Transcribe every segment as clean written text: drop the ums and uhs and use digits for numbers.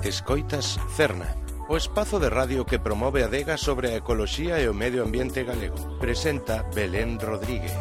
Escoitas Cerna, o espazo de radio que promove a adega sobre a ecoloxía e o medio ambiente galego. Presenta Belén Rodríguez.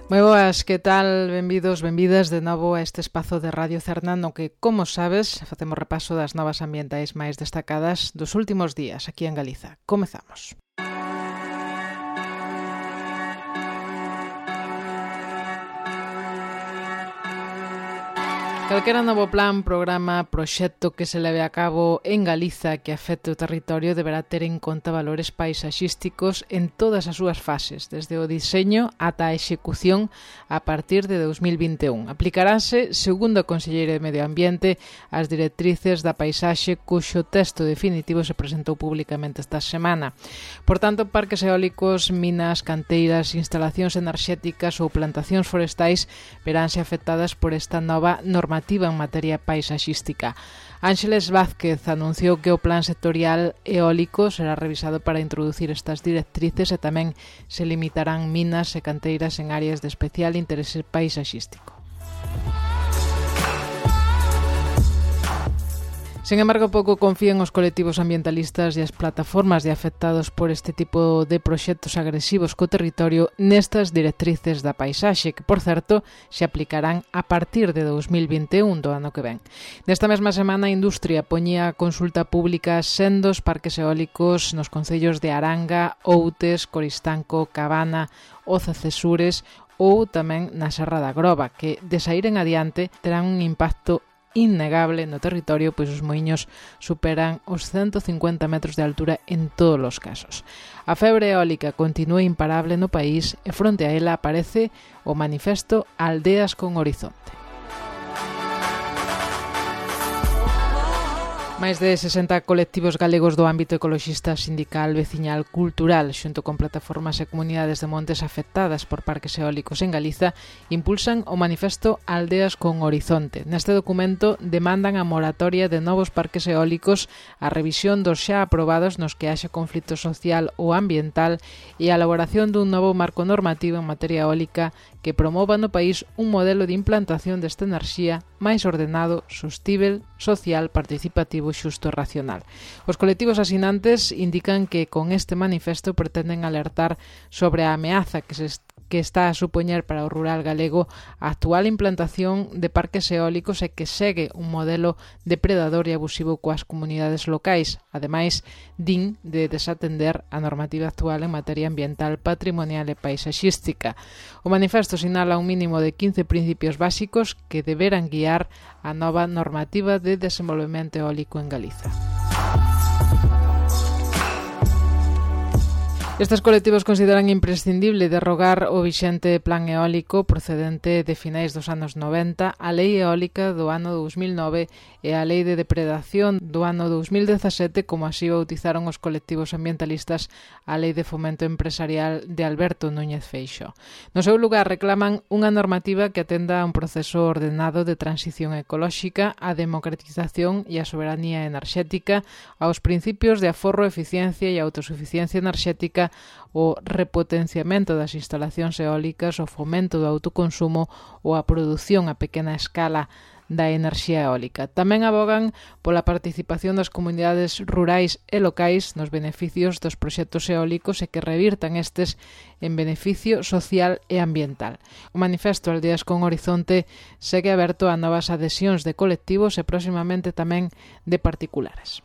Moi boas, que tal? Benvidos, benvidas de novo a este espazo de Radio Cerna no que, como sabes, facemos repaso das novas ambientais máis destacadas dos últimos días aquí en Galiza. Comezamos. Calquera novo plan, programa, proxecto que se leve a cabo en Galiza que afecte o territorio deberá ter en conta valores paisaxísticos en todas as súas fases, desde o diseño ata a execución a partir de 2021. Aplicarase, segundo a Conselleira de Medio Ambiente, as directrices da paisaxe cuxo texto definitivo se presentou públicamente esta semana. Por tanto, parques eólicos, minas, canteiras, instalacións enerxéticas ou plantacións forestais veránse afectadas por esta nova normativa en materia paisaxística. Ángeles Vázquez anunciou que o plan sectorial eólico será revisado para introducir estas directrices e tamén se limitarán minas e canteiras en áreas de especial interese paisaxístico. Sen embargo, pouco confían os colectivos ambientalistas e as plataformas de afectados por este tipo de proxectos agresivos co territorio nestas directrices da paisaxe, que, por certo, se aplicarán a partir de 2021 do ano que ven. Nesta mesma semana, a industria poñía a consulta pública sendos parques eólicos nos concellos de Aranga, Outes, Coristanco, Cabana, Oza Cesures ou tamén na Serra da Groba, que, de saír en adiante, terán un impacto innegable no territorio, pois os moiños superan os 150 metros de altura en todos os casos. A febre eólica continúa imparable no país e fronte a ela aparece o manifesto Aldeas con Horizonte. Máis de 60 colectivos galegos do ámbito ecoloxista, sindical, veciñal, cultural, xunto con plataformas e comunidades de montes afectadas por parques eólicos en Galiza, impulsan o manifesto Aldeas con Horizonte. Neste documento demandan a moratoria de novos parques eólicos, a revisión dos xa aprobados nos que haxa conflito social ou ambiental e a elaboración dun novo marco normativo en materia eólica que promova no país un modelo de implantación desta enerxía máis ordenado, sostível, social, participativo, xusto e racional. Os colectivos asinantes indican que con este manifesto pretenden alertar sobre a ameaza que está a supoñer para o rural galego a actual implantación de parques eólicos e que segue un modelo depredador e abusivo coas comunidades locais, ademais, din de desatender a normativa actual en materia ambiental, patrimonial e paisaxística. O manifesto sinala un mínimo de 15 principios básicos que deberán guiar a nova normativa de desenvolvemento eólico en Galiza. Estes colectivos consideran imprescindible derrogar o vixente plan eólico procedente de finais dos anos 90, a Lei Eólica do ano 2009 e a Lei de Depredación do ano 2017, como así bautizaron os colectivos ambientalistas a Lei de Fomento Empresarial de Alberto Núñez Feixóo. No seu lugar reclaman unha normativa que atenda a un proceso ordenado de transición ecolóxica, a democratización e a soberanía enerxética, aos principios de aforro, eficiencia e autosuficiencia enerxética, o repotenciamento das instalacións eólicas, o fomento do autoconsumo ou a produción a pequena escala da enerxía eólica. Tamén abogan pola participación das comunidades rurais e locais nos beneficios dos proxectos eólicos e que revirtan estes en beneficio social e ambiental. O manifesto Aldeas con Horizonte segue aberto a novas adhesións de colectivos e próximamente tamén de particulares.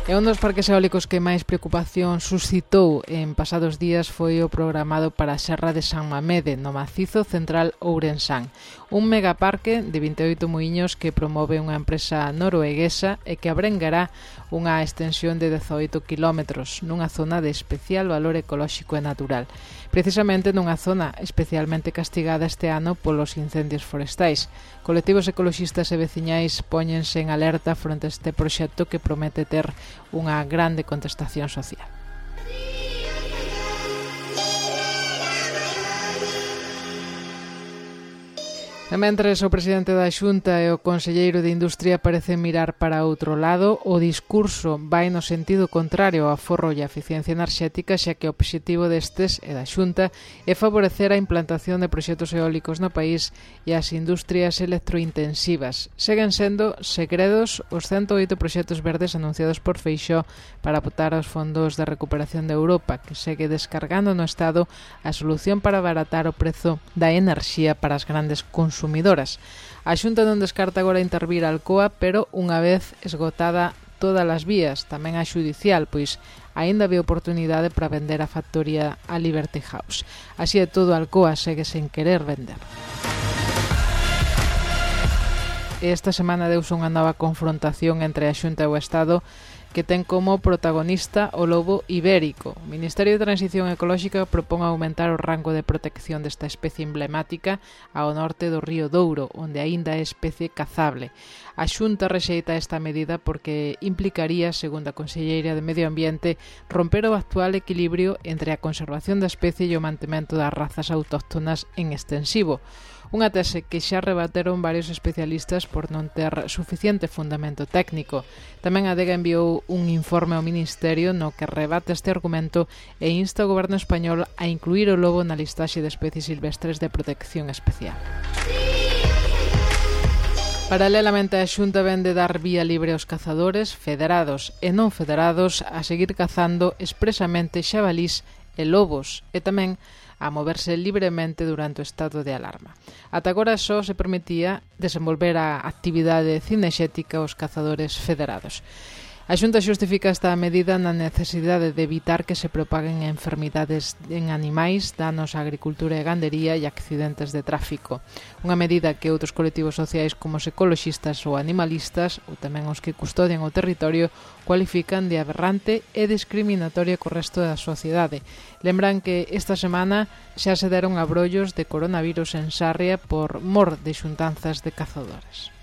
E un dos parques eólicos que máis preocupación suscitou en pasados días foi o programado para a Serra de San Mamede, no macizo central Ourensán. Un megaparque de 28 muiños que promove unha empresa norueguesa e que abrengará unha extensión de 18 kilómetros nunha zona de especial valor ecolóxico e natural. Precisamente nunha zona especialmente castigada este ano polos incendios forestais. Colectivos ecoloxistas e veciñais póñense en alerta fronte a este proxecto que promete ter unha grande contestación social. Mentres o presidente da Xunta e o conselleiro de Industria parecen mirar para outro lado, o discurso vai no sentido contrario ao aforro e a eficiencia enerxética, xa que o obxectivo destes e da Xunta é favorecer a implantación de proxectos eólicos no país e as industrias electrointensivas. Seguen sendo segredos os 108 proxectos verdes anunciados por Feixóo para botar aos fondos de recuperación de Europa, que segue descargando no Estado a solución para abaratar o prezo da enerxía para as grandes consumidoras. A Xunta non descarta agora intervir a Alcoa, pero unha vez esgotada todas as vías, tamén a xudicial, pois aínda ve oportunidade para vender a factoría a Liberty House. Así é todo, Alcoa segue sen querer vender. Esta semana deuse unha nova confrontación entre a Xunta e o Estado que ten como protagonista o lobo ibérico. O Ministerio de Transición Ecolóxica propón aumentar o rango de protección desta especie emblemática ao norte do río Douro, onde aínda é especie cazable. A Xunta rexeita esta medida porque implicaría, segundo a conselleira de Medio Ambiente, romper o actual equilibrio entre a conservación da especie e o mantemento das razas autóctonas en extensivo. Unha tese que xa rebateron varios especialistas por non ter suficiente fundamento técnico. Tamén a Adega enviou un informe ao Ministerio no que rebate este argumento e insta ao Goberno español a incluir o lobo na listaxe de especies silvestres de protección especial. Paralelamente, a Xunta vende dar vía libre aos cazadores, federados e non federados, a seguir cazando expresamente xabalís e lobos, e tamén a moverse libremente durante o estado de alarma. Ata agora só se permitía desenvolver a actividade cinexética aos cazadores federados. A Xunta xustifica esta medida na necesidade de evitar que se propaguen enfermidades en animais, danos á agricultura e gandería e accidentes de tráfico. Unha medida que outros colectivos sociais como os ecoloxistas ou animalistas, ou tamén os que custodian o territorio, cualifican de aberrante e discriminatoria co resto da sociedade. Lembran que esta semana xa se deron abrollos de coronavirus en Sarria por mor de xuntanzas de cazadores.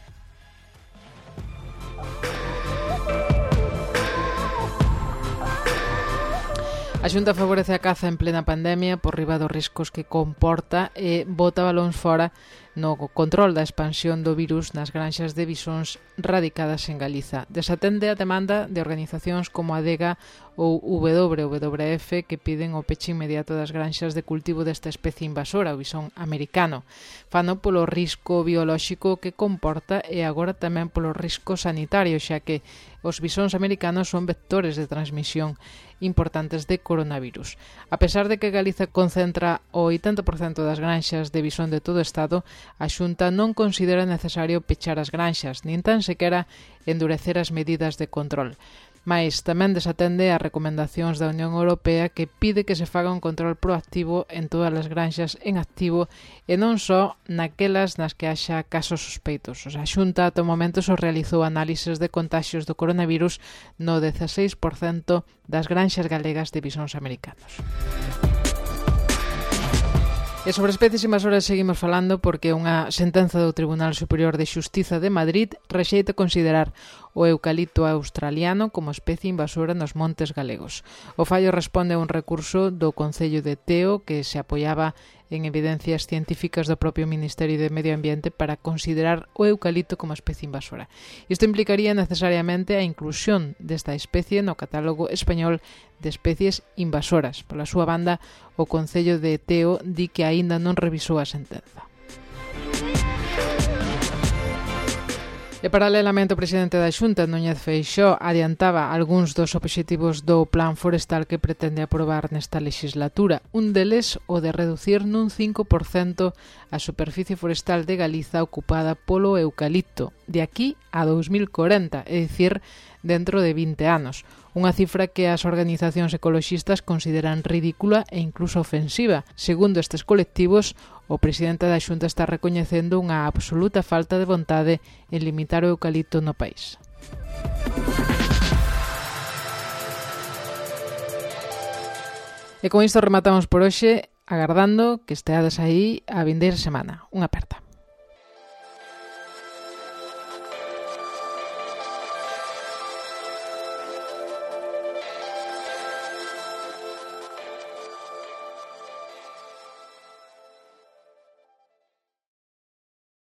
A Xunta favorece a caza en plena pandemia por riba dos riscos que comporta e bota balóns fora no control da expansión do virus nas granxas de bisóns radicadas en Galiza. Desatende a demanda de organizacións como a Adega ou WWF que piden o peche inmediato das granxas de cultivo desta especie invasora, o bisón americano. Fano polo risco biolóxico que comporta e agora tamén polo risco sanitario, xa que os bisóns americanos son vectores de transmisión importantes de coronavirus. A pesar de que Galiza concentra o 80% das granxas de bisón de todo o Estado, a Xunta non considera necesario pechar as granxas, nin tan sequera endurecer as medidas de control. Mais tamén desatende as recomendacións da Unión Europea que pide que se faga un control proactivo en todas as granxas en activo e non só naquelas nas que haxa casos sospeitos. A Xunta ata o momento só realizou análises de contaxios do coronavirus no 16% das granxas galegas de bisóns americanos. E sobre especies invasoras seguimos falando porque unha sentenza do Tribunal Superior de Xustiza de Madrid rexeita considerar o eucalipto australiano como especie invasora nos montes galegos. O fallo responde a un recurso do Concello de Teo que se apoiaba en evidencias científicas do propio Ministerio de Medio Ambiente para considerar o eucalipto como especie invasora. Isto implicaría necesariamente a inclusión desta especie no catálogo español de especies invasoras. Pola súa banda, o Concello de Teo di que aínda non revisou a sentenza. E paralelamente o presidente da Xunta, Núñez Feixóo, adiantaba algúns dos obxectivos do plan forestal que pretende aprobar nesta legislatura. Un deles, o de reducir nun 5% a superficie forestal de Galiza ocupada polo eucalipto, de aquí a 2040, é dicir, dentro de 20 anos. Unha cifra que as organizacións ecoloxistas consideran ridícula e incluso ofensiva. Segundo estes colectivos, o presidente da Xunta está recoñecendo unha absoluta falta de vontade en limitar o eucalipto no país. E con isto rematamos por hoxe, agardando que esteades aí a vindeira semana. Unha aperta.